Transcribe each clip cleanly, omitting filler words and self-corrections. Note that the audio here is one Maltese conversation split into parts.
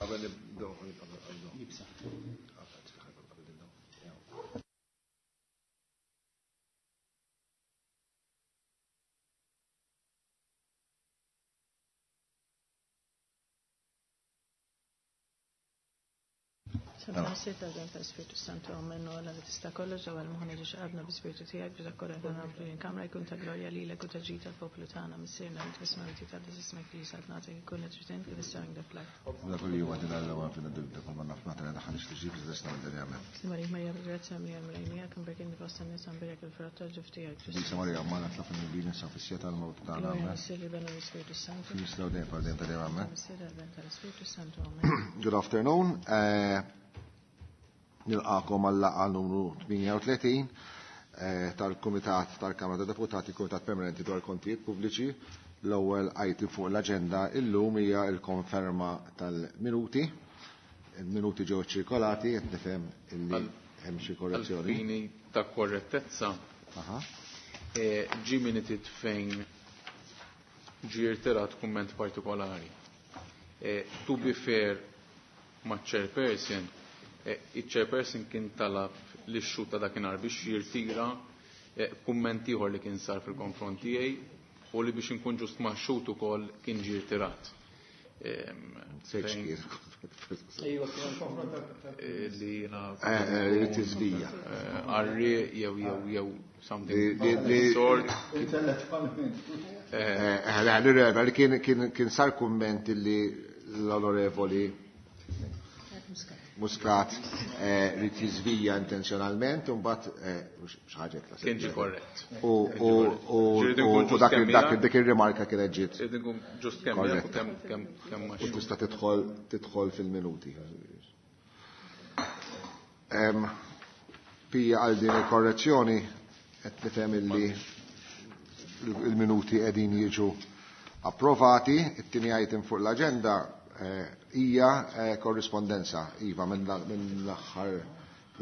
Qabel nibdew Missier tal-Bin tal-Ispirtu Santu Amen u Alla li tista' kollox ġewwa l-moħħna ġiex qalbna bi-Spirtu tiegħek biex dak kollha li nagħmlu din kamra jkun ta' glorja lilek u ta' ġid tal-poplu tagħna. Missierna li fis-smewwiet jitqaddes ismek li saltnatek ikun li trid int kif is-sema fl-art. Dak li huwa din Alla għafina dibda kull ma naf nagħti daħal ixtiġib iżda minn amen. Maria Maria bil-grazzja mlija l-Mulej miegħek imbierek inti fost in-nisa mbierek il-frott tal-ġuf tiegħek Ġesù. Disa Maria Ammana tlaf il-mibin nisa fis-sija tal-mewt tagħna. Glorja Amen. Missier il-Ben u l-Ispirtu Santu. Fis-sija dejjem għal dejjem ta' dejjem amen. Missier il-Ben tal-Ispirtu Santu Amen. Good afternoon. Nilqakom għal-laqgħa numru 38 tal-Kumitat tal-Kamra ta' Deputati, Kumitat Permanenti dwar Kontijiet Pubbliċi. L-ewwel item fuq l-aġenda illum hija l-konferma tal-minuti. Il-minuti ġew ċirkolati, qed nifhem illi hemm xi korrezzjoni. Għal-fini ta' korrettezza, ġie minutit fejn ġie irtirat kumment partikolari. To be fair ma' chairperson, il-chairperson kien talab li x-xhud ta' dakinhar biex jirtira kumment ieħor li kien sar fil-konfront tiegħi u li biex inkun ġust ma' xhud ukoll kien ġie irtirat. Sejx Ejwa, kien konfront ta' Li jiena Tisbija. Arri jew jew jew something sort. Intellettualment. Li kien sar kumment li l-onorevoli Muscat rrid jiżvija intenzjonalment u mbagħad xi ħaġa hekk. Kien ġie korrett. U dak ir-rimarka kienet ġiet. Ġieli nkun ġust kemm hija u kemm kemm ma U tista' tidħol fil-minuti. Pija għal din il-korrezzjoni qed nifhem illi il-minuti qegħdin jiġu approvati. It-tieni item fuq l-aġenda hija korrispondenza, iva, minn l-aħħar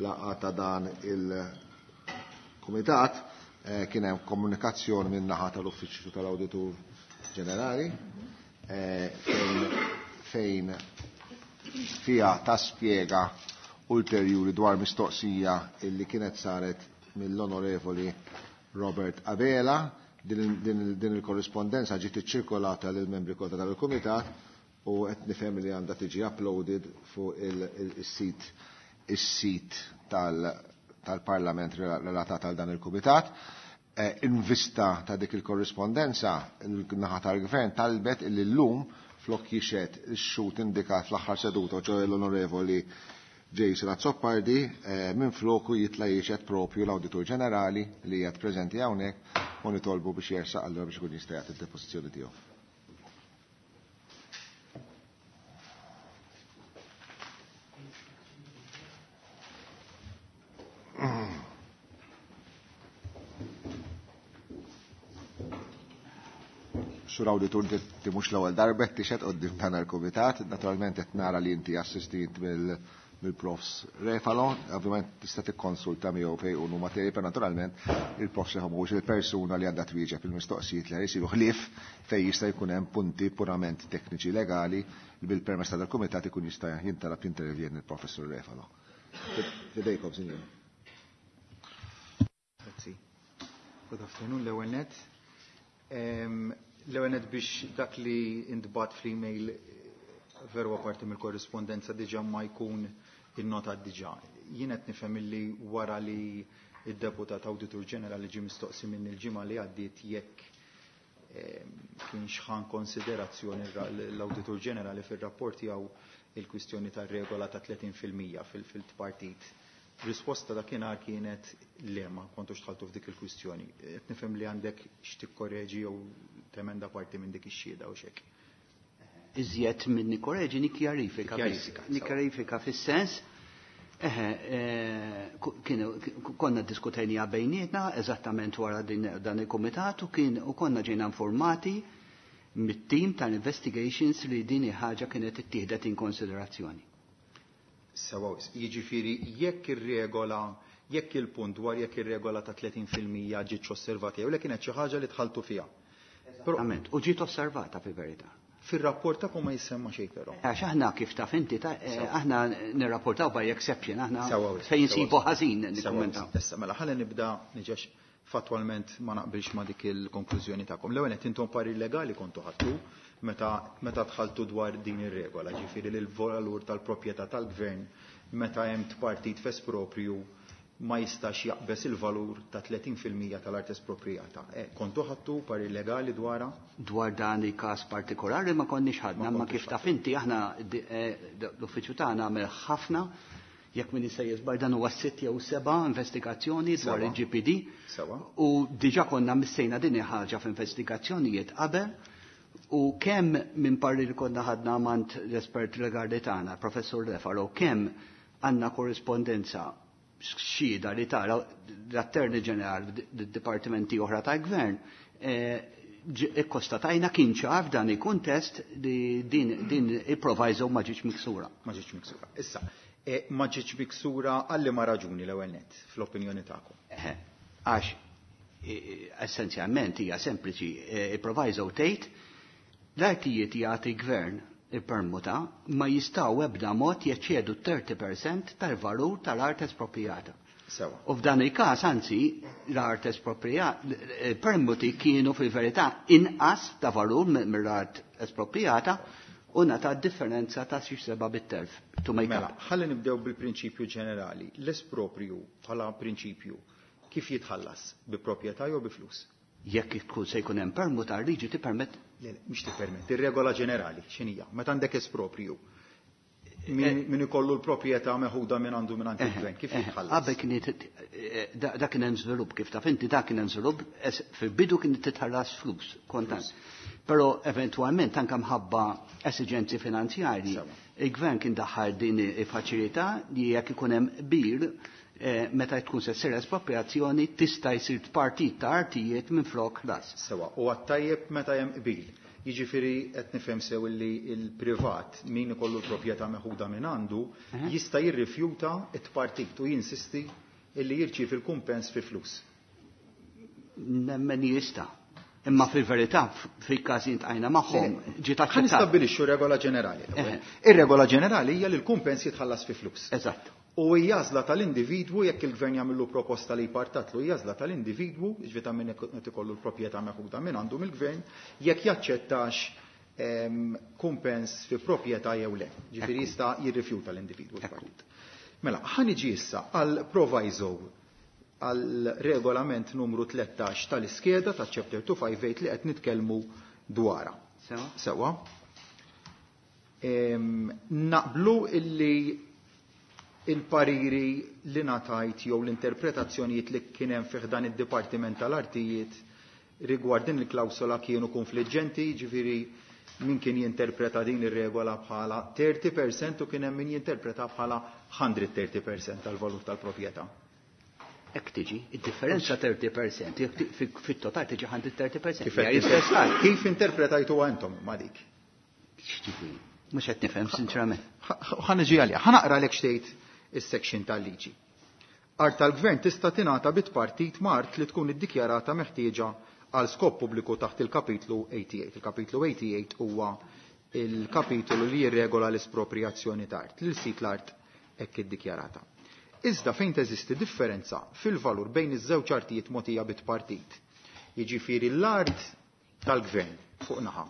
laqgħa ta' dan il-kumitat kien hemm komunikazzjoni minn naħa tal-Uffiċċju tal-Awditur Ġenerali fejn fiha ta' spjega ulterjuri dwar mistoqsija illi kienet saret mill-Onorevoli Robert Abela. Din il-korrispondenza ġiet iċċirkolata lill-membri kollha tal-Kumitat u qed nifhem li għandha tiġi uploaded fuq is-sit tal-Parlament relatat għal dan il-Kumitat. In vista ta' dik il-korrispondenza, il-naħa tal-Gvern talbet illi llum flok jixhed ix-xhud indikat fl-aħħar seduta, ċoe l-Onorevoli Jason Azzopardi, minn floku jitla' jixhed propju l-Awditur Ġenerali li qiegħed preżenti hawnhekk u nitolbu biex jersaq allura biex ikun jista' jagħti d-depożizzjoni tiegħu. Sur Awditur, inti mhux l-ewwel darba qed tixhed quddiem dan il-kumitat, naturalment qed nara li inti assistit mill-Profs Refalo, ovvjament tista' tikkonsulta miegħu fejn hu materji, però naturalment il-Profs Refalo mhuwiex il-persuna li għandha twieġeb il-mistoqsijiet li jsiru ħlief fejn jista' jkun hemm punti purament tekniċi legali li bil-permess tal-kumitat ikun jista' jintalab jintervjeni il-Professur Refalo. Fidejkom, signor. Grazzi. Good afternoon, l-ewwel nett. L-ewwel nett biex dak li intbagħat fl-email veru parti mill-korrispondenza diġà ma jkun innota diġà. Jien qed nifhem illi wara li id-deputat Awditur Ġenerali ġie mistoqsi minn il-ġimgħa li għaddiet jekk kien xħan konsiderazzjoni l-Awditur Ġenerali fir-rapport tiegħu il-kwistjoni tar-regola ta' 30% fil-partit. Risposta dakinhar kienet le, ma kontux dħaltu f'dik il-kwistjoni. Qed nifhem li għandek x'tikkoreġi jew temenda parti minn dik ix-xhieda u x'hekk. Iżjed minn nikkoreġi nikkjarifika. Nikkjarifika, sewa. Nikkjarifika fis-sens, konna diskutejnija bejnietna eżattament wara dan il-kumitat u konna ġejna informati mit-tim tal-investigations li din il-ħaġa kienet ittieħdet in konsiderazzjoni. Sewa, jiġifieri jekk ir-regola, jekk il-punt dwar jekk ir-regola ta' 30% ġietx osservata jew le kienet xi ħaġa li dħaltu fiha. Eżattament, u ġiet osservata fil-verità. Fir-rapport tagħkom ma jissemma xejn però. Għax aħna kif taf inti, aħna nirrapportaw by exception, aħna Sewa wisq, fejn sewa insibu wisq. ħażin Sewa nikkummentaw. wisq. Issa mela ħalli nibda niġex fatwalment ma naqbilx ma dik il-konklużjoni tagħkom. L-ewwel qed intom parir legali kontu ħadtu meta dħaltu dwar din ir-regola, ġifieri li l-valur tal-proprjetà tal-gvern meta hemm tpartit f'esproprju ma jistax jaqbeż il-valur ta' 30% tal-art esproprjata. Kontu ħadtu parir legali dwarha? Dwar dan il-każ partikolari ma konniex ħadna, Ma ma kontux kif taf ħadtu. inti aħna l-uffiċċju tagħna għamel ħafna, jekk min jista' jiżbar dan huwa 6 jew 7 investigazzjoni dwar il-GPD. U diġà konna missejna din il-ħaġa f'investigazzjonijiet qabel, u kemm minn parir konna ħadna mant l-espert legali tagħna, Professur Refalo, kemm għandna korrispondenza xhieda li tara l-Attorney General d-dipartimenti oħra tal-Gvern, ikkostatajna kien ċar f'dan il-kuntest li din il-proviso ma ġietx miksura. Ma ġietx miksura. Issa, ma ġietx miksura għalli ma raġuni l-ewwel nett fl-opinjoni tagħkom. Għax essenzjalment hija sempliċi, il-proviso tgħid l-artijiet jagħti gvern il-permuta ma jistaw ebda mod jeċċedu 30% tal-valur tal-art espropriata. U f'dan il-każ, anzi, l-art espropriata, il-permuti kienu fil-verità inqas ta' valur mill-art espropriata u nata differenza ta' xi seba' bit-telf. To make Mela, up. ħalli nibdew bil-prinċipju ġenerali. L-esproprju bħala prinċipju kif jitħallas? Bi proprjetà jew bi flus? Jekk ikun se jkun hemm permuta, l-liġi tippermett. Le, le, mhix tippermett. Ir-regola ġenerali x'inhija? Meta għandek esproprju, min ikollu l-proprjetà meħuda minn għandu minn għand il-gvern, kif jitħallas? Qabel kien da kien hemm żvilupp, kif taf inti, da kien hemm żvilupp, fil-bidu kien titħallas flus, kontant. Però eventwalment anke mħabba esiġenzi finanzjarji, il-gvern kien daħħal din il-faċilità li jekk ikun hemm bir, meta tkun se ssir espropriazzjoni tista' jsir partit ta' artijiet minn flok ħlas. Sewa, u għat-tajjeb meta hemm qbil. Jiġifieri qed nifhem sew li l-privat min ikollu l-proprjetà meħuda minn għandu jista' jirrifjuta t-partit u jinsisti illi jirċievi l-kumpens fi flus. Nemmen jista'. Imma fil-verità, fil-każ jintqajna magħhom, ġiet Ħa aċċettata. nistabbilixxu regola ġenerali l-ewwel. Ir-regola ġenerali hija li l-kumpens jitħallas fi flus. U hija għażla tal-individwu jekk il-gvern jagħmillu proposta li jpartatlu, hija għażla tal-individwu, jiġifieri ta' min qed ikollu l-proprjetà meħuda minn għandu mill-gvern, jekk jaċċettax kumpens fi proprjetà jew le. Ġifieri jista' jirrifjuta l-individwu l-partit. Mela, ħa niġi issa għal proviso għal regolament numru 13 tal-iskeda ta' chapter 258 li qed nitkellmu dwarha. Sewa. Sewa. Naqblu illi il-pariri li natajt jew l-interpretazzjonijiet li kien hemm fih dan id-Dipartiment tal-Artijiet rigward din il-klawsola kienu konfliġġenti, ġifieri min kien jinterpreta din ir-regola bħala 30% u kien hemm min jinterpreta bħala 130% tal-valur tal-proprjetà. Hekk tiġi, id-differenza 30%, jekk fit-total tiġi 130%. Kif Hija qed l-istess tifhem? ħaġa. Kif interpretajtu intom ma dik? X'ġifieri? Mhux qed nifhem sinċerament. Ħa niġi għalija, ħa naqra lek xtejt is-section tal-liġi. Art tal-gvern tista' tingħata bit-partit ma' art li tkun iddikjarata meħtieġa għal skop pubbliku taħt il-kapitlu 88. Il-kapitlu 88 huwa il-kapitolu li jirregola l-espropriazzjoni ta' art, lil sit l-art hekk iddikjarata. Iżda fejn teżisti differenza fil-valur bejn iż-żewġ artijiet mogħtija bit-partit. Jiġifieri l-art tal-gvern fuq naħa.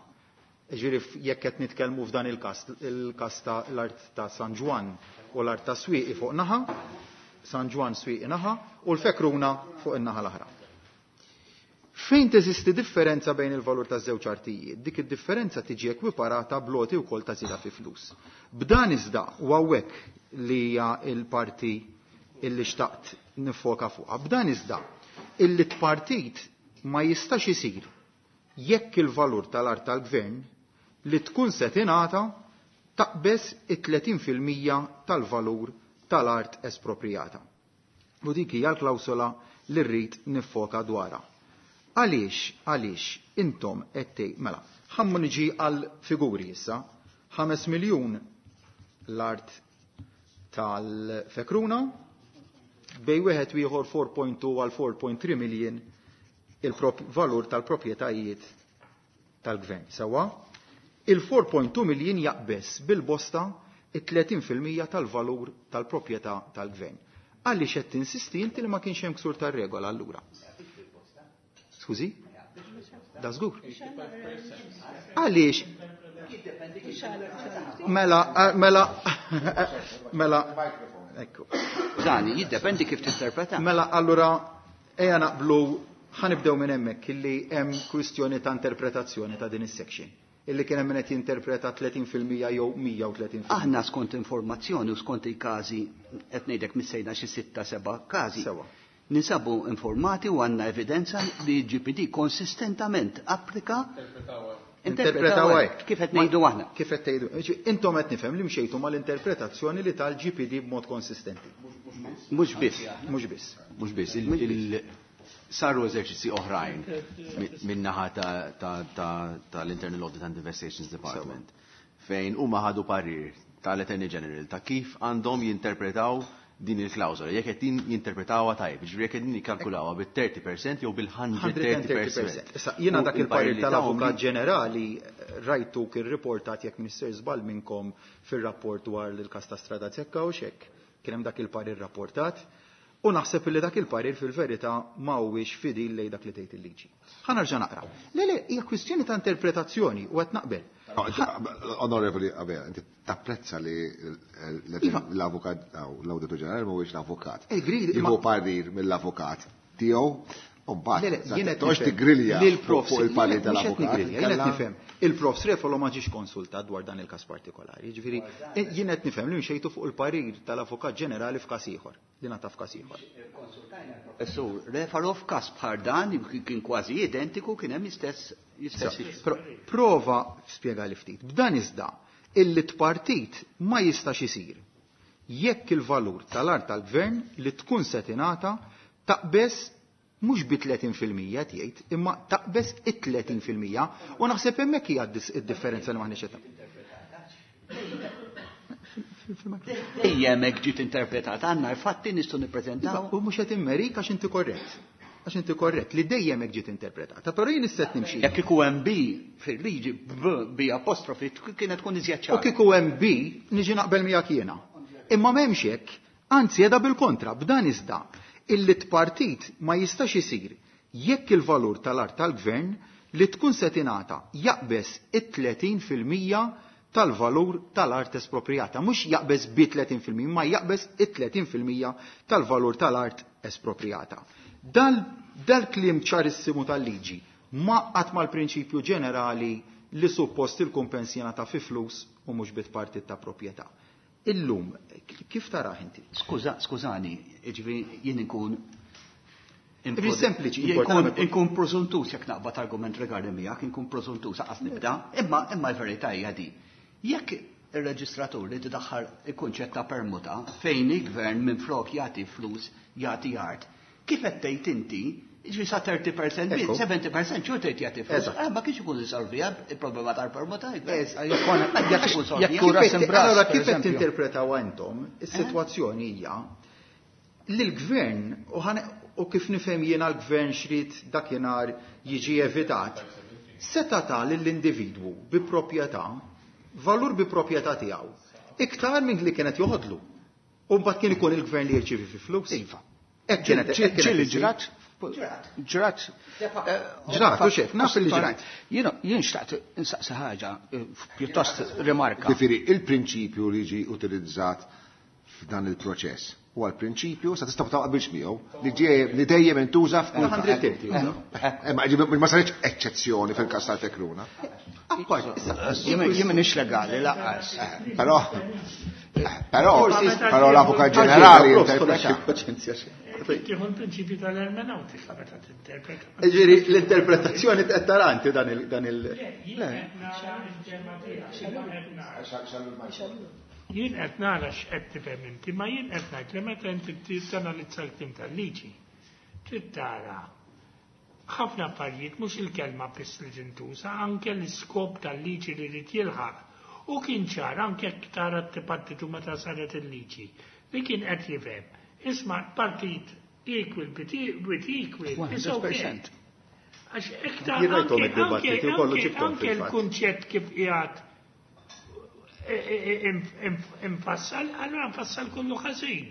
Jiġifieri jekk qed nitkellmu f'dan il-każ, il-każ ta' l-art ta' San Ġwann u l-art ta' Swieqi fuq naħa, San Ġwann Swieqi naħa u l-Fekruna fuq in-naħa l-oħra. Fejn teżisti differenza bejn il-valur ta' żewġ artijiet, dik id-differenza tiġi ekwiparata b'loti wkoll ta' żieda fi flus. B'dan iżda u hawnhekk li hija l-parti illi xtaqt nifoka fuqha. B'dan iżda illi t-partit ma jistax isir jekk il-valur tal-art tal-gvern li tkun se tingħata taqbeż it-tletin fil-mija tal-valur tal-art espropriata. U dik hija l-klawsola li rrid nifoka dwarha. Għaliex, għaliex, intom qed tgħid, mela, ħammu niġi għal figuri issa, 5 miljun l-art tal-Fekruna, bej wieħed u ieħor 4.2 għal 4.3 million il-valur tal-proprjetajiet tal-gvern. Sewwa? Il-4.2 miljun jaqbes bil-bosta it-30% tal-valur tal-proprjetà tal-gvern. Għaliex qed tinsisti inti li ma kienx hemm ksur tar-regola allura? Skużi? Da żgur. Għaliex? Mela, mela, mela, ekku. Zani, jiddependi kif tinterpreta. Mela, allura, ejja naqblu, ħa nibdew minn hemmhekk illi hemm kwistjoni ta' interpretazzjoni ta' din is-section. Illi kien hemm min qed jinterpreta 30% jew 130%. Aħna skont informazzjoni u skont il-każi qed ngħidlek missejna xi sitta seba' każi. Sewa. Ninsabu informati u għandna evidenza li l-GPD konsistentament applika Interpretaw hekk. Kif qed ngħidu aħna. Kif qed tgħidu? Ġifieri, intom qed nifhem li mxejtu mal-interpretazzjoni li tal-GPD b'mod konsistenti. Mhux biss. Mhux biss. Mhux biss. Saru eżerċizzi oħrajn min-naħa tal-Internal Audit and Investigations Department fejn huma ħadu parir tal-Attorney General ta' kif għandhom jinterpretaw din il-klawżola, jekk qed jinterpretawha tajjeb, jiġifieri jekk qegħdin jikkalkulawha bit-30% jew bil-130%. Issa jiena dak il-parir tal-Avukat Ġenerali rajtu kien riportat jekk Minister żball minnkom fir-rapport dwar il-każ ta' Strada Zekka u xek, kien hemm dak il-parir rapportat. U naħseb li dak il-parir fil-verità ma huwiex fidil lejn dak li tgħid il-liġi. Ħa nerġa' naqra. Le, le, hija kwistjoni ta' interpretazzjoni u qed naqbel. Onorevoli, Abela, inti tapprezza li l-avukat, l-Awditur Ġenerali mhuwiex l-avukat. Jieħu parir mill-avukat tiegħu, u mbagħad toqgħodx tigrilja fuq il-parir tal-avukat. Jien qed nifhem. Il-Profs Refalo ma ġiex konsultat dwar dan il-każ partikolari. Jiġifieri, jien qed nifhem li mxejtu fuq il-parir tal-Avukat Ġenerali f'każ ieħor. Li nata f'każ ieħor. Professur Refalo f'każ bħal dan kien kważi identiku kien hemm istess istess. Prova spjega li ftit. B'dan iżda illi t-partit ma jistax isir jekk il-valur tal-art tal-gvern li tkun se tingħata taqbeż mhux bi 30% tgħid, imma taqbeż it-30% u naħseb hemmhekk hija d-differenza li maħniex qed. Dejjem hekk ġiet interpretata, għandna l-fatti nistgħu nippreżentaw. U mhux qed immerik għax inti korrett. Għax inti korrett li dejjem hekk ġiet interpretata, però jien issa qed nimxi. Jekk kieku hemm B fil-liġi B apostrofi kienet tkun iżjed ċara. U kieku hemm B niġi naqbel miegħek jiena. Imma m'hemmx hekk, anzi qiegħda bil-kontra, b'dan iżda illi t-partit ma jistax isir jekk il-valur tal-art tal-gvern li tkun se tingħata jaqbeż it-30% tal-valur tal-art espropriata. Mhux jaqbeż bi 30%, ma jaqbeż it-30% tal-valur tal-art espropriata. Dal-kliem ċarissimu tal-liġi ma qatt mal-prinċipju ġenerali li suppost il-kumpens jingħata fi flus u mhux bit partit ta' proprjetà. Illum, kif taraħ inti? Skuża, skużani, jiġifieri jien inkun Ġifieri sempliċi, inkun prożuntus jekk naqbad argument regali miegħek, inkun prożuntus aqas nibda, imma l-verità hija di. Jekk ir-reġistratur li tidaħħal il-kunċett ta' permuta fejn il-gvern minn flok jagħti flus, jagħti art, kif qed tgħid inti, jiġifieri sa 30%, 70% xorta tgħid jagħti flus. Ma kienx ikun isolvija il-problema tal-permuta, Allora kif qed tinterpretaw intom, is-sitwazzjoni hija li l-gvern u kif nifhem jiena l-gvern xrid dakinhar jiġi evitat, seta' ta' lill-individwu bi proprjetà, valur bi proprjetà tiegħu, iktar minn li kienet joħodlu. U mbagħad kien ikun il-gvern li jirċievi fi flus. Iva. Hekk kienet Ġieli ġrat. Ġrat. Ġrat, u xef, naf li ġrat. Jien xtaqt insaqsi ħaġa, pjuttost rimarka. Ġifieri, il-prinċipju li ġie utilizzat f'dan il-proċess huwa l-prinċipju, sa tista' taqbilx miegħu, li dejjem intuża f'kull Ma ma saritx eċċezzjoni fil-każ tal-Fekruna. Jien m'iniex legali lanqas. Però però l-Avukat Ġenerali interpreta. Tieħu l-prinċipju tal-ermeneutika meta tinterpreta. Ġifieri l-interpretazzjoni qed tara inti dan il dan il Jien qed nara x'qed tifhem inti, ma jien qed ngħid li meta inti trid tanalizza l-kliem tal-liġi, trid tara ħafna affarijiet mhux il-kelma biss li tintuża, anke l-iskop tal-liġi li jrid jilħaq. U kien ċar anke jekk tara t-dibattitu meta saret il-liġi li kien qed jifhem. Isma' partit equal with equal is okay. Għax iktar Jien rajthom id-dibattiti u kollu ġibthom anke fil-fatt. l-kunċett kif qiegħed infassal, allura nfassal kollu ħażin.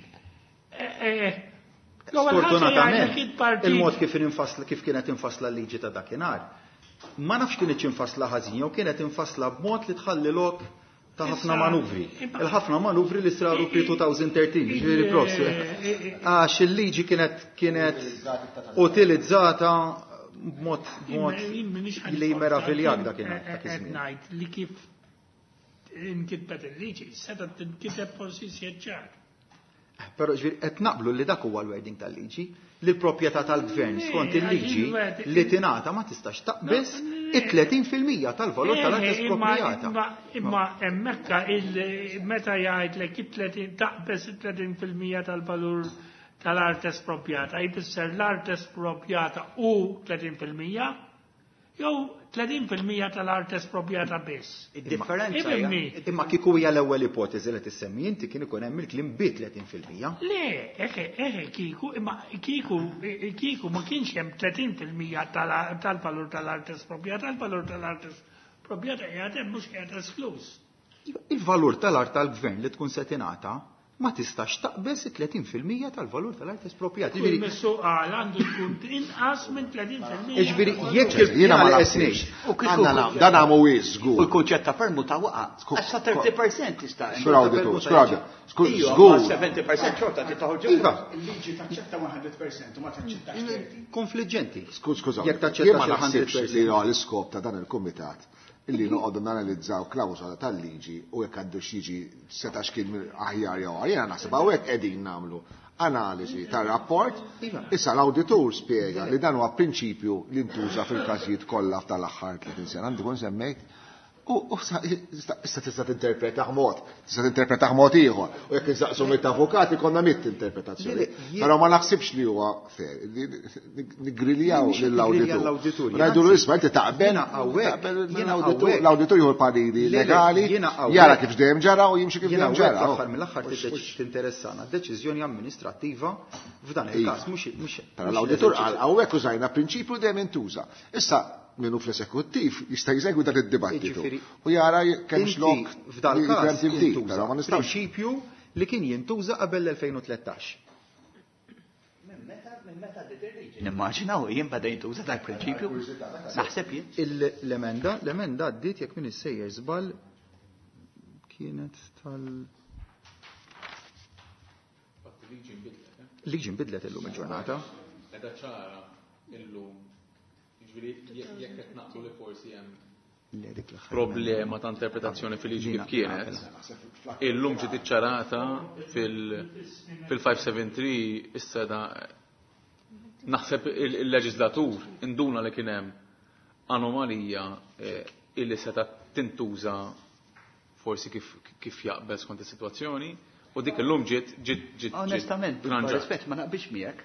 L-ewwel ħaġa jgħidlek Sfortunatament, il-partit il-mod kif infassla kif kienet infassla l-liġi ta' dakinhar, ma nafx kienet infassla ħażin jew kienet infassla b'mod li tħalli lok ta' ħafna Issa, manuvri. imma- Il-ħafna manuvri li saru pre-2013, ġifieri profs. Għax il-liġi kienet kienet utilizzata b'mod b'mod Jien m'iniex ħan li meraviljak dakinhar qed dak iż-żmien. ngħid li kif inkitbet il-liġi, seta tinkiteb forsi iżjed ċar. Però ġifieri qed naqblu li dak huwa l-wording tal-liġi, li l-proprjetà tal-gvern Le, skont il-liġi għax il-word- li tingħata ma tistax taqbes it-30% tal-valur tal-art Eh, imma- esproprjata. Imma imma hemmhekk il- meta jgħidlek it-30 taqbeż it-30% tal-valur tal-art esproprjata, jfisser l-art esproprjata u 30% jew 30% tal-art esproprjata biss. Id-differenza hija Ifhimni. Imma kieku hija l-ewwel ipoteżi li tissemmi inti kien ikun hemm il-kliem bi 30%. Le, eħe, eħe, kiku, imma kiku, kiku ma kienx hemm 30% tal- tal-valur tal-art esproprjata, tal-valur tal-art esproprjata qiegħed hemm mhux qiegħed esklus. Il-valur tal-art tal-gvern li tkun se tingħata ma tistax taqbeż it-30% tal-valur tal-art esproprjata. Kull Ġifieri missu qal għandu jkun inqas minn 30%. ġifieri jekk Jiena ma il naħsibx. U kieku- Għandna Dan mhuwiex U żgur. l-kunċett ta' permuta waqa'. Għax sa 30% tista' Sur awditur, sur awditur. Ijwa, Żgur. ma 70% xorta titaħorġu. Iva, Il-liġi taċċetta 100% u ma taċċettax 30. konfliġġenti. Skuż, skużaw. Jekk Jien taċċetta ma naħsibx li 100%. huwa l-iskop ta' dan il-kumitat illi noqogħdu nanalizzaw klawżola tal-liġi u jekk għandu x'jiġi setax kien aħjar jew agħar. Jiena naħseb hawnhekk qegħdin nagħmlu analiżi tar-rapport. Issa l-awditur spjega li dan huwa prinċipju li ntuża fil-każijiet kollha tal-aħħar 30 sena. Għandi kun semmejt U u sa- issa tista' tinterpretah mod, tista' tinterpretah mod ieħor. U jekk insaqsu mit avukati konna mitt interpretazzjoni. Le, le, jien- Però ma naħsibx li huwa fair. Nigriljaw Mhix nigrilja lill-awditur. l-awditur, jien Ngħidulu anzi, isma' inti taqbel, jiena hawnhekk, taqbel jiena l-awditur, hawnhekk. l-awditur jieħu l-pariri Le, le, legali, jiena hawnhekk. jara kif dejjem ġara u jimxi kif Jiena dejjem hawnhekk ġara. l-aħħar mill-aħħar tinteressana deċiżjoni amministrattiva f'dan il-każ Iva. mhux mhux Però mhux l-awditur l-eżerċizzju. qal hawnhekk użajna prinċipju dejjem intuża. Issa minnu fl-esekuttiv jista' jsegwi dan id-dibattitu. Jiġifieri, U jara kemm Inti xlok f'dal li każ jifhem tibdil, jintuża però ma nistgħux. prinċipju li kien jintuża qabel l-2013. Nimmaġinaw jien bada jintuża dak prinċipju. Naħseb jien. Il- L-emenda, l-emenda għaddiet jekk min issejjer żball kienet tal Liġi nbidlet, eh? liġi nbidlet illum il-ġurnata. Edha ċara illum. Ġifieri jekk qed naqblu li forsi hemm Le, dik l-aħħar. problema ta' interpretazzjoni fil-liġi kif kienet, illum ġiet iċċarata fil-573 issa da naħseb il-leġislatur induna li kien hemm anomalija illi seta' tintuża forsi kif kif jaqbel skont is-sitwazzjoni u dik illum ġiet ġiet ġiet Onestament, tranġat. rispett ma naqbilx miegħek.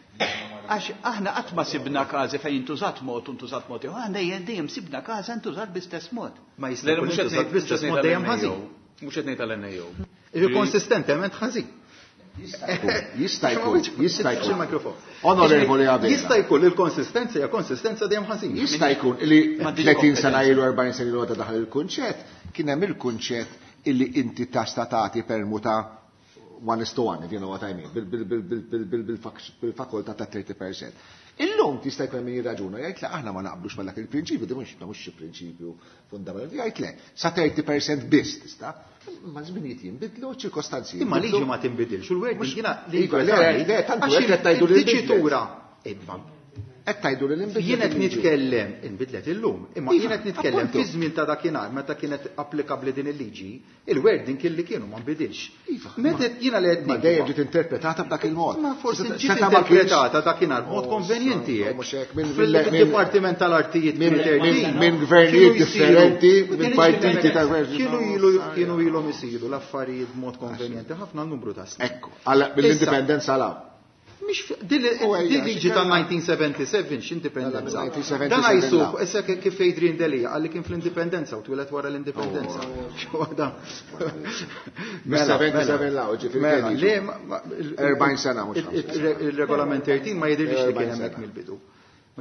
Għax aħna qatt ma sibna każi fejn intużat mod u ntużat mod ieħor, aħna dejjem dejjem sibna każi ntużat bl-istess mod. Ma jista' Le, jkun mhux qed intużat ngħid- bl-istess mhux qed mod dejjem ngħid ħażin. tal-NAO, Mhux qed ngħid tal-NAO. Jiġifieri Konsistentement ħażin. Jista' jkun, jista' jkun. Il-mikrofon. Onorevoli Abela. Jista' jkun il-konsistenza hija konsistenza dejjem ħażin. Jista' jkun li M'għandix 30 sena kompetenza. ilu 40 sena ilu meta daħal il-kunċett, kien hemm il-kunċett illi inti tasta tagħti permuta one is to one, if you know what I mean, bil-fakultà ta' 30%. Illum tista' jkun min jirraġuna jgħid le aħna ma naqblux ma dak il-prinċipju, di mhux mhux xi prinċipju fundamentali, jgħid le sa 30% biss tista'. Ma żminijiet jinbidlu, ċirkostanzi Imma jinbidlu. liġi ma tinbidilx u l-wording jiena li Iva, le, le, tantu hekk qed tgħidu li nbidlet. Diċitura. Imma Qed tgħidu li nbidlet Jien qed il-liġi. nitkellem, inbidlet illum, imma Iva, jien qed nitkellem appuntu. fi żmien ta' dakinhar meta kienet applikabbli din il-liġi, il-wording kien li kienu ma nbidilx. Iva, Meta jiena li qed Ma ngħid dejjem huwa- ġiet interpretata b'dak il-mod. Ma forsi Seta- ġiet seta ma kienx- interpretata dakinhar b'mod Oh, konvenjenti sa- hekk. mhux hekk, minn- minn- Fil-Dipartiment tal-Artijiet minn- minn gvernijiet differenti, minn partiti ta' gvern- Kienu ilu kienu ilhom isiru l-affarijiet b'mod konvenjenti ħafna numru ta' snin. Ekku, għal mill-indipendenza law. Mhix fi- din U ejja, din liġi xi tal-1977 x'indipendenza. Mela, mill-1977 Dan għajsu, law. issa kif Adrian Delia qal li kien fl-indipendenza u twieled wara l-indipendenza. Xi waħda. Mela, Mis-77 law, ġifieri Mela, kemm le, jiġu? ma- ma- il- 40 sena mhux il- 50 Il-regolament 13 ma jidhirlix li 40 kien hemmhekk sena. mill-bidu.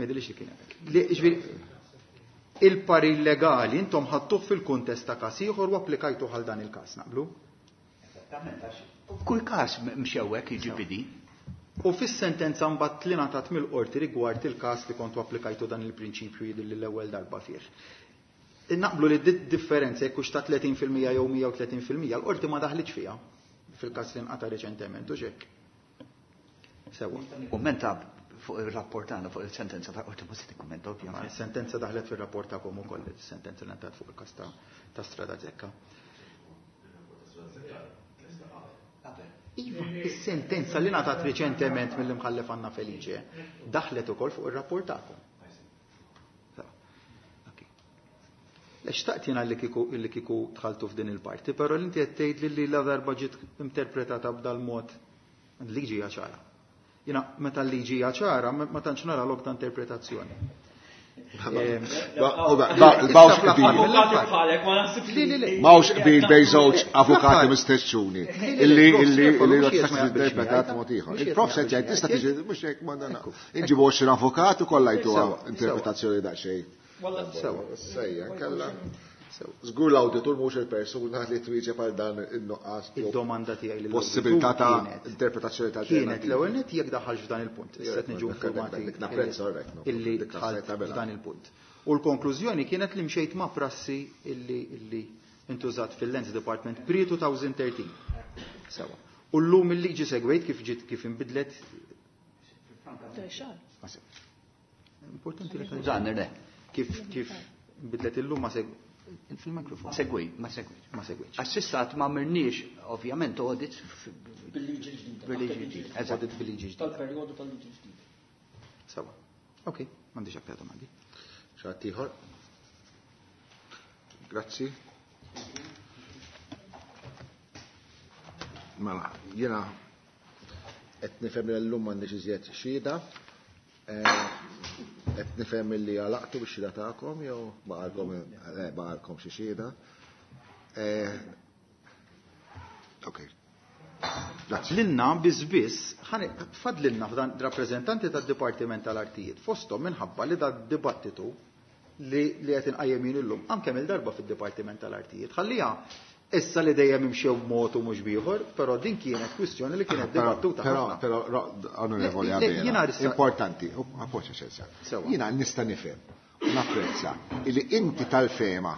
Ma jidhirlix li kien hemmhekk. Jiġifieri il-parir legali intom ħadtuh fil-kuntest ta' każ ieħor u applikajtuh għal dan il-każ, naqblu? Eżattament, għax f'kull każ mxew hekk jiġifieri. U fis-sentenza mbagħad li ngħatat mill-qorti rigward il-każ li kontu applikajtu dan il-prinċipju jidhirli l-ewwel darba fih. Naqblu li d-differenza jekk hux ta' 30% jew 130% l-qorti ma daħlitx fiha fil-każ li nqata' reċentement u x'hekk. Sewa. Kummenta fuq ir-rapport tagħna fuq il-sentenza ta' qorti ma se tikkummenta ovvjament. Is-sentenza daħlet fir-rapport tagħkom ukoll, is-sentenza li ngħatat fuq il-każ ta' Strada Zekka. Iva, is-sentenza li ngħatat reċentement mill-imħallef Anna Felice daħlet ukoll fuq ir-rapport tagħkom. Xtaqt jiena li kieku dħaltu f'din il-parti, però l-inti qed tgħid li la darba ġiet interpretata b'dal-mod liġi hija ċara. Jiena meta l-liġi hija ċara ma tantx nara lok ta' interpretazzjoni. Mawx qbil bejn żewġ avukati misteċċuni illi illi illi interpretat mod ieħor. Il-prof se jgħid tista' tiġi mhux hekk ma Inġibu 20 avukat u kollha jtuha interpretazzjoni daqsxejn. Sewa. Sejja, kella. Żgur l-awditur mhux il-persuna li twieġeb għal dan in-nuqqas. Id-domanda tiegħi lil possibilità ta' interpretazzjoni ta' kienet l-ewwel nett jekk daħalx f'dan il-punt. Issa qed niġu informati illi dħalt f'dan il-punt. U l-konklużjoni kienet li mxejt ma' prassi illi intużat fil-Lands Department pre-2013. Sewa. U llum il-liġi segwejt kif ġiet kif inbidlet. Importanti li Dan re. Kif bidlet illum ma seg fil-mikrofon. Segwi, ma segwi. Ma segwitx. Assistat ma mirniex, ovvjament, audit bil-liġi ġdida. Bil-liġi ġdida. Eżatt. Audit bil-liġi ġdida. Tal-perjodu tal-liġi ġdida. Sewa. Ok, m'għandix aktar domandi. Xi ieħor? Grazzi. Mela, jiena qed nifhem li llum m'għandix iżjed xhieda. Qed nifhem li għalaqtu bix-xhieda tagħkom jew baqalkom xi xhieda. Ok. Grazzi. Lilna biss biss, fadlilna f'dan rappreżentanti tad-Dipartiment tal-Artijiet fosthom minħabba li da dibattitu li qed inqajjem jien illum anke mill-darba fid-Dipartiment tal-Artijiet. Ħalliha issa li dejjem imxew b'mod u mhux b'ieħor, però din kienet kwistjoni li kienet dibattuta ħafna. Però, onorevoli Abela, importanti, appoġġa ċensa. Jiena nista' nifhem u napprezza illi inti tal-fema,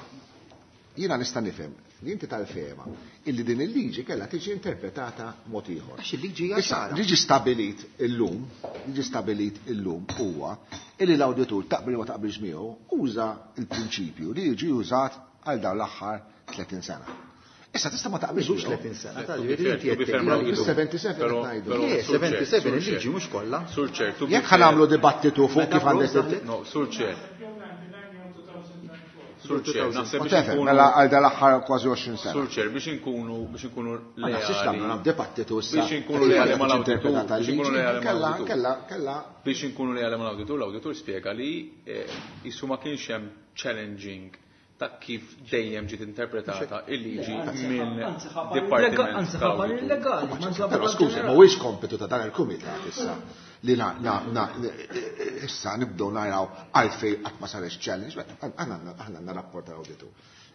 jiena nista' nifhem li inti tal-fema illi din il-liġi kellha tiġi interpretata mod ieħor. Għax il-liġi hija Issa, ċara. liġi stabilit illum, liġi stabilit illum huwa illi l-awditur taqbel ma taqbilx miegħu uża l-prinċipju li jiġi użat għal dawn l-aħħar 30 sena. Issa tista' ma taqbilx Mhux miegħu. 30 sena, ta' To be ġifieri fair, inti to be qed fair, tgħid ma li rridu. 77 Però, qed ngħidu. però, Le, Sur Chair, 77 Sur il-liġi Chair. mhux kollha. Sur Chair, to be Jekk fair. ħanamlu dibattitu fuq Meta kif għandek prosa- No, Sur Chair. Sur Chair, naħseb biex Whatever, inkunu mela għal dal-aħħar kważi 20 sena. Sur Chair, biex inkunu biex inkunu Ma naħsibx leali. nagħmlu dibattitu issa. Biex inkunu leali mal-awditur, Interpretata biex inkunu l-liġi, leali Kella, mal-awditur. kella, kella. Biex inkunu leali mal-awditur, l-awditur spjega li issu ma kienx hemm challenging ta' kif dejjem ġiet interpretata il-liġi minn dipartiment Anzi, ħabar tal-awditur. illegali. ma nżabar Però skużi, ġenerali. mhuwiex kompitu ta' dan il-kumitat issa li issa nibdew naraw għalfejn qatt ma sarex challenge, aħna għandna rapport tal-awditur.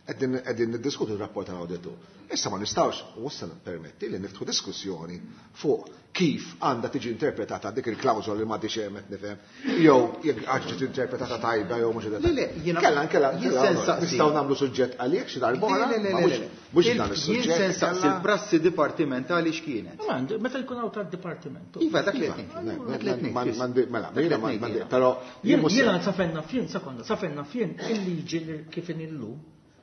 Qegħdin niddiskutu r-rapport tal-awditur. Issa ma nistgħux, u issa nippermetti li niftħu diskussjoni fuq kif għandha tiġi interpretata dik il-klawżola li m'għadix hemm qed nifhem, jew jekk għad ġiet interpretata tajba jew mhux Le, le, jiena- Kella, kella, jien kella, se nsaqsi. nistgħu nagħmlu suġġett għalik xi darba oħra, Le, le, le, ma le, mhux le. mhux dan Jien is-suġġett. se nsaqsi kella- l-prassi dipartimentali x'kienet. Ma, meta jkun hawn tad-dipartiment. Iva, dak li qed ngħid. Dak li qed ngħid. Mela, Dak li jiena qed ngħid jiena. però jien mhux Jiena safenna fien, sekonda, safenna fien il-liġi li kif illum,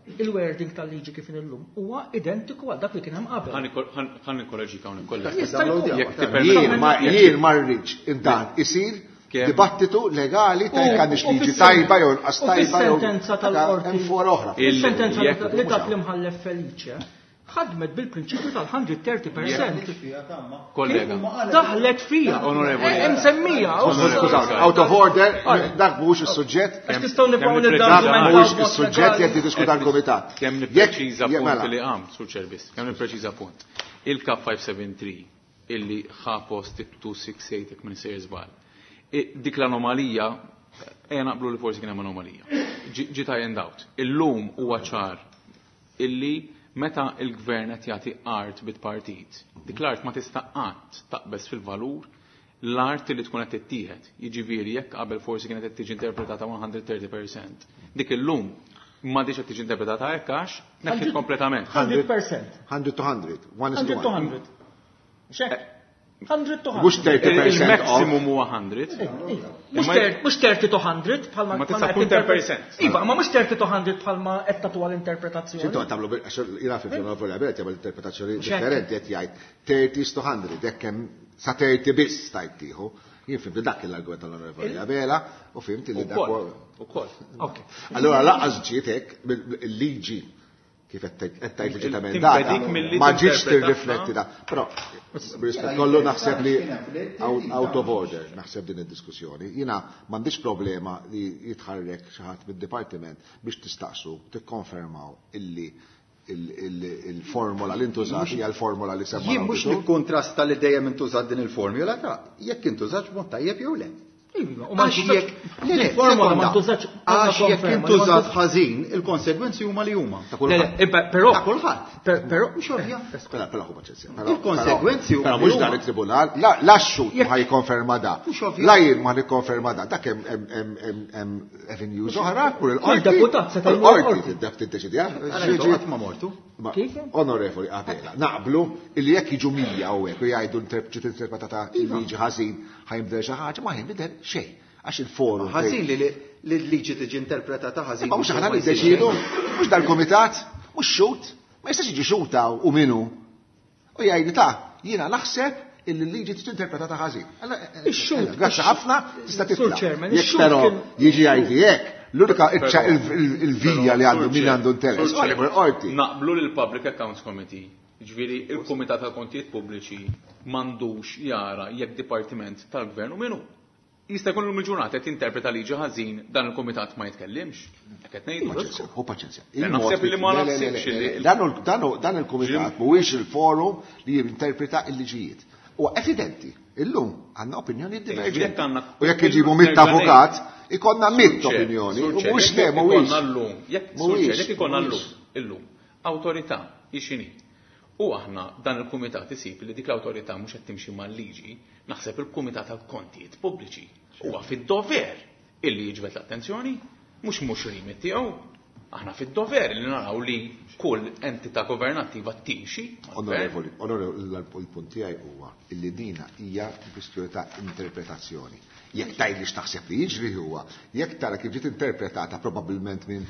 il-wording tal-liġi kif illum huwa identiku għal dak li kien hemm qabel. Ħan nikkoreġik hawnhekk kollega. Jista' jkun. Jekk tippermetti- Jien ma jien ma rridx dan isir Kemm- dibattitu legali ta' jekk għandix U liġi fis-sen- tajba jew inqas u tajba jew fis-sentenza tal-qorti. hemm fora oħra. Il- Is-sentenza jekk- li tat l-imħallef Felice ħadmet bil-prinċipju tal-130%. Kollega. Daħlet fija. Onorevoli. Hemm semmija. Skużawni, out of order, dak mhuwiex is-suġġett. Għax tistgħu nibqgħu Kemm Dak niddargumentaw mhuwiex b'mod is-suġġett legali. jekk jiddiskuta l-kumitat. Kemm Jekk- nippreċiża jekk- punt mela, li qam, Sur Chair biss, kemm nippreċiża punt. Il-Kap 573 illi ħa post it-268 jekk minn sejjer żball. Dik l-anomalija Ejja naqblu li forsi kien hemm anomalija. Ġiet ironed out. Illum huwa ċar illi meta il-gvern qed jagħti art bit-partit, dik l-art ma tista' qatt taqbeż fil-valur l-art li tkun qed tittieħed. Jiġifieri jekk qabel forsi kienet qed tiġi interpretata 130%, dik illum m'għadhiex qed tiġi interpretata hekk għax tneħħiet kompletament. 100%. 100 to 100. 1 is to 100. 100. Xek? 100 to 100. Mhux 30%. Il-maximum huwa 100. Mhux 30 to 100 bħalma. Ma tista' tkun 10%. Iva, ma mhux 30 to 100 bħalma qed tagħtuha l-interpretazzjoni. X'intu qed tagħmlu jiena fil onorevoli Abela jagħmel interpretazzjoni differenti qed jgħid 30 to 100 jekk hemm sa 30 biss stajt tieħu. Jien fhimt li dak kien l-argument tal-Onorevoli Abela u fhimt li dak Ukoll. Allura lanqas ġiet hekk il-liġi kif qed tgħid li ġiet emendata ma ġietx tirrifletti da. Però b'rispett kollu naħseb li out of order naħseb din id-diskussjoni. Jiena m'għandix problema li jitħarrek xi ħadd mid-dipartiment biex tistaqsu, tikkonfermaw illi il-formula li ntużat hija l-formula li semma. Jien mhux nikkontrasta li dejjem intużat din il-formula ta' jekk intużat b'mod tajjeb jew le. Iva, u ma Għax jekk le, le, il-formula ma sekonda. ntużatx Għax jekk intużat ħażin, il-konsegwenzi huma li huma. Ta' Le, le, kulħadd. però Ta' kulħadd. Però Mhux ovvja. Però però hu paċenzja. Il-konsegwenzi huma Però mhux li dan huma. it-tribunal, la x-xhud ma jikkonferma da. Mhux ovvja. La jien ma nikkonferma da. Dak hemm hemm hemm hemm avenues oħra kull il-qorti. deputat se tagħmlu Il-qorti l-qorti. tiddeċidi. Għalhekk qatt ma mortu. Kif? Onorevoli Abela, naqblu illi jekk jiġu 100 u hekk u jgħidu ġiet interpretata il-liġi ħażin ħa jinbidel xi ħaġa, ma jinbidel xejn. Għax il-forum. Ħażin li li l-liġi tiġi interpretata ħażin. Ma mhux aħna niddeċiedu, mhux dal-kumitat, mhux xhud, ma jistax jiġi xhud u minnu. U jgħidu ta' jiena naħseb illi l-liġi tiġi interpretata ħażin. Ix-xhud- Grazzi ħafna tista' Sur titla'. Chairman, Jekk ix-xhud però kien- jiġi jgħid hekk, l-unika il-vija li għandu min għandu interess. Sur Chair, Għalli qorti. Naqblu li l-Public Accounts Committee, ġifieri il-Kumitat tal-Kontijiet Pubbliċi m'għandux jara jekk dipartiment tal-Gvern u minnu. Jista' jkun illum il-ġurnata qed jinterpreta liġi ħażin dan il-kumitat ma jitkellimx. Hekk qed ngħidu. Paċenzja, hu paċenzja. Le, naħseb li ma naħsibx li- Dan il-kumitat mhuwiex il-forum li jinterpreta il-liġijiet. Huwa evidenti, illum għandna opinjoni diverġenti. Jekk għandna- U jekk iġibu mitt avukat, ikonna mitt opinjoni. U mhux le, mhuwiex. Ikonna llum, jekk Mhuwiex, Sur Chair, jekk ikonna llum, mhuwiex. illum, awtorità hi x'inhi. U aħna dan il-kumitat isib li dik l-awtorità mhux qed timxi mal-liġi, naħseb il-kumitat tal-kontijiet pubbliċi huwa fid-dover illi jiġbed l-attenzjoni, mhux mhux remit tiegħu. Aħna fid-dover li naraw li kull entità governattiva timxi mal-gvern. Onorevoli, onorevoli, il-punt tiegħi huwa illi dina hija kwistjoni ta' interpretazzjoni. Jekk tgħid li x'taħseb li jiġri huwa, jekk tara kif ġiet interpretata probabbilment minn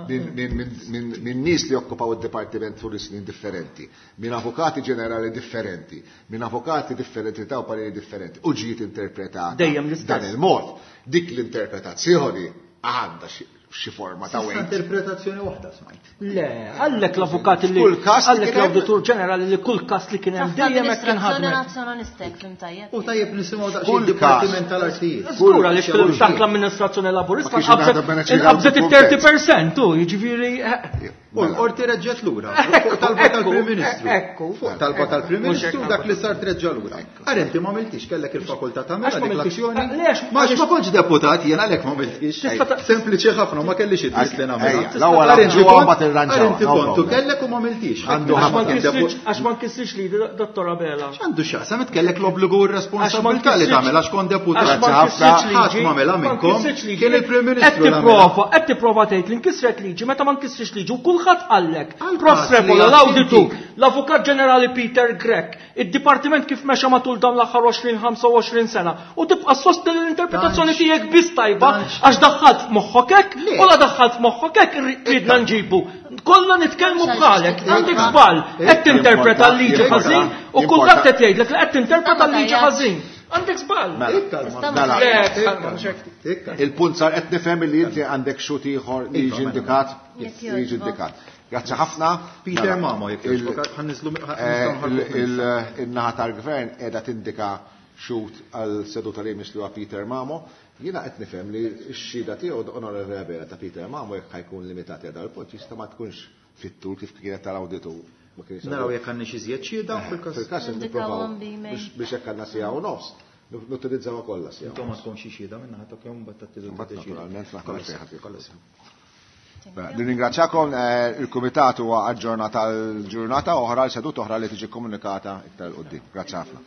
minn minn minn minn minn nies li okkupaw id-dipartiment tul snin differenti, minn avukati ġenerali differenti, minn avukati differenti taw pareri differenti, u ġiet interpretata Dejjem l-istess. dan il-mod. Dik l-interpretazzjoni għandha xi xi forma ta' S'issa weight. interpretazzjoni waħda smajt. Le, għallek l-avukat li Kull każ li għallek kien hemm- l-awditur ġenerali li kull kas li kien hemm Taħt dejjem hekk kien amministrazzjoni ħadmet. nazzjonalista jekk fim tajjeb. U tajjeb nisimgħu daqsxejn Kull id-Dipartiment każ. tal-Artijiet. Żgur għaliex Kull- taħt l-amministrazzjoni laburista Ma kienx ingħata beneċi nqabżet għal it-30% u jiġifieri eh, U l-qorti reġġet lura. Ekku, Fuq talba ekku, tal-Prim Ministru. ekku. Fuq talba tal-Prim Mhux Ministru hekk. dak li sar treġġa lura. Ara inti ma għamiltix kellek il-fakultà tagħmilha Għax ma dik għamiltix? l-azzjoni. Le, għax- Ma għax ma kontx deputat jien għalhekk ma għamiltix. Tista' ta- Sempliċi ħafna ma kellix id-dritt li nagħmilha. Ejja, l-ewwel Ara inti ħaġa kont- ma tirranġawha, ara inti no kontu problem. kellek u ma għamiltix. Għandu Għax ma ħafna. nkissirx għax ma nkissirx li dottor Abela. X'għandu x'jaqsam kellek l-obbligu u Għax ma r-responsabilità li nkissirx- tagħmel għax kont deputat. Għax ma Grazzi ħafna. nkissirx liġi. Ħadd ma għamilha ma minnkom. nkissirx liġi. Kien il-Prim Qed Ministru li għamilha. tipprova, qed tipprova tgħid li nkissret liġi meta ma nkissirx liġi u kulħadd qallek. Għal Prof każ li Repola, għad l-awditur, inti. l-Avukat Ġenerali Peter Grech, id-Dipartiment kif mexa matul dawn l-aħħar 20-25 sena u tibqa' sostni l-interpretazzjoni Tantx- tiegħek biss tajba tantx- għax daħħalt f'moħħok hekk Le. u la daħħalt f'moħħok hekk ridna nġibu. Kollha nitkellmu Xalx bħalek, xtieq għandek tajba. żball, qed tinterpreta l-liġi Jimporta, ħażin u jimporta. kulħadd qed jgħidlek li qed tinterpreta l-liġi Tista' ma ħażin. Għandek żball. Mela, Ikkalma. Mela. Le, Ikkalma. Ikkalma. Il-punt sar qed nifhem li inti għandek xut ieħor li Iva, jiġi mela. indikat. Jekk Li jiġi jogħġbok. indikat. Grazzi ħafna. Peter Mela, Mamo, jekk jogħġbok, ħanniżlu nistgħu nħarbu Il-naħa tal-gvern qiegħda tindika xut għal seduta li jmiss li huwa Peter Mamo. Jiena qed nifhem li x-xhieda tiegħu onorevoli Abela ta' Peter Mamo jekk ħajkun limitati għal dal-punt jista' ma tkunx fit-tul kif kienet tal-awditu. Ma kienx Naraw jekk għandna xi żjed xhieda fil-każ. Fil-każ Indikawhom nipprovaw b'email. biex hekk għandna siegħa u nofs. Nutilizzawha kollha sew. Intom għandkom xi xhieda minn naħa tagħkom mbagħad tattidu Naturalment naħna Nirringrazzjakom, il-Kumitat huwa aġġornat għal ġurnata oħra, l seduta oħra li tiġi komunikata iktar 'il quddiem. Grazzi ħafna.